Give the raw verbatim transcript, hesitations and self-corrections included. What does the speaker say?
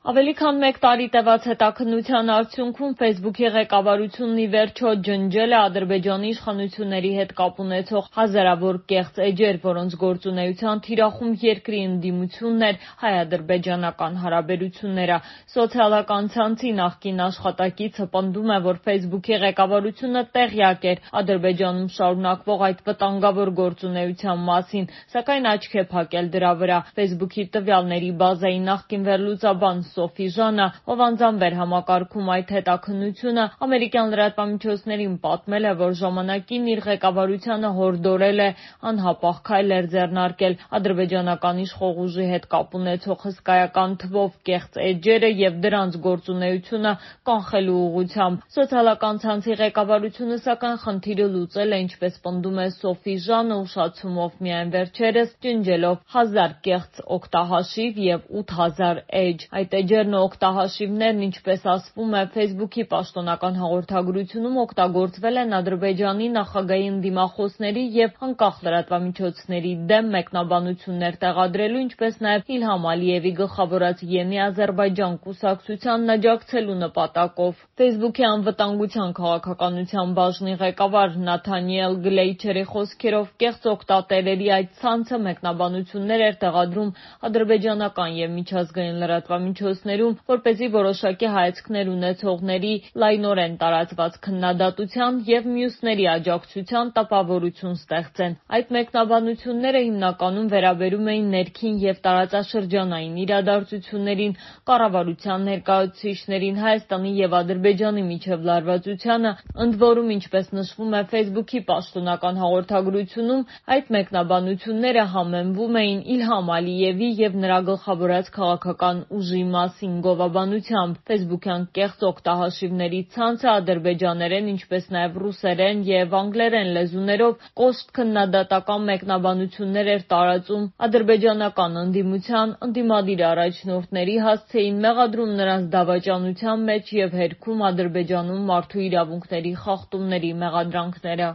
Ավելի քան մեկ տարի տևած հետաքննության արդյունքում Facebook-ի ղեկավարությունն ի վերջո ջնջել է Ադրբեջանի իշխանությունների հետ կապ ունեցող հազարավոր կեղծ էջեր, որոնց գործունեության թիրախում երկրի ընդդիմությունն էր հայ-ադրբեջանական հարաբերությունները։ Սոցիալական ցանցի նախկին աշխատակիցը պնդում է, որ Facebook-ի ղեկավարությունը տեղյակ էր Ադրբեջանում շարունակվող այդ վտանգավոր գործունեության մասին, սակայն աչք է փակել դրա վրա։ Facebook-ի տվյալների բազայի նախկին վերլուծաբան Սոֆի Ժանը, ով անձամբ էր համակարգում այդ հետաքննությունը, ամերիկյան լրատվամիջոցներին պատմել է, որ ժամանակին իր ղեկավարությանը հորդորել է անհապաղ քայլեր ձեռնարկել ադրբեջանական իշխող ուժի հետ կապ ունեցող հսկայական թվով կեղծ էջերը և դրանց գործունեությունը կանխելու ուղղությամբ։ Սոցիալական ցանցի ղեկավարությունը, սակայն, խնդիրը լուծել է, ինչպես պնդում է Սոֆի Ժանը, ուշացումով միայն վերջերս ջնջելով հազար կեղծ օգտահաշիվ և ութ հազար էջ։ Այդ էջերն ու օգտահաշիվներն, ինչպես ասվում է Facebook-ի պաշտոնական հաղորդագրությունում, օգտագործվել են Ադրբեջանի նախագահի ընդդիմախոսների և անկախ լրատվամիջոցների դեմ մեկնաբանություններ տեղադրելու, ինչպես նաև Իլհամ Ալիևի գլխավորած Ենի Ադրբեջան կուսակցությանն աջակցելու նպատակով։ Facebook-ի անվտանգության քաղաքականության բաժնի ղեկավար Նաթանիել Գլեյչերի խոսքերով, կեղծ օգտատերերի այդ ցանցը մեկնաբանություններ էր տեղադրում ադրբեջանական և միջազգային լրատվամիջոցներում, որպեսզի որոշակի հայացքներ ունեցողների լայնորեն տարածված քննադատության և մյուսների աջակցության տպավորություն ստեղծեն։ Այդ մեկնաբանությունները հիմնականում վերաբերում էին ներքին և տարածաշրջանային իրադարձություններին, կառավարության ներկայացուցիչներին, Հայաստանի և Ադրբեջանի միջև լարվածությանը, ընդ որում, ինչպես նշվում է Facebook-ի պաշտոնական հաղորդագրությունում, այդ մեկնաբանությունները համեմվում էին Իլհամ Ալիևի և նրա գլխավորած քաղաքական ուժի մասին գովաբանությամբ։ Facebook-յան կեղծ օգտահաշիվների ցանցը ադրբեջաներեն, ինչպես նաև ռուսերեն և անգլերեն լեզուներով կոշտ քննադատական մեկնաբանություններ էր տարածում ադրբեջանական ընդդիմության ընդդիմադիր առաջնորդների, հասցեին մեղադրում նրանց դավաճանության մեջ և հերքում Ադրբեջանում մարդու իրավունքների խախտումների մեղադրանքները։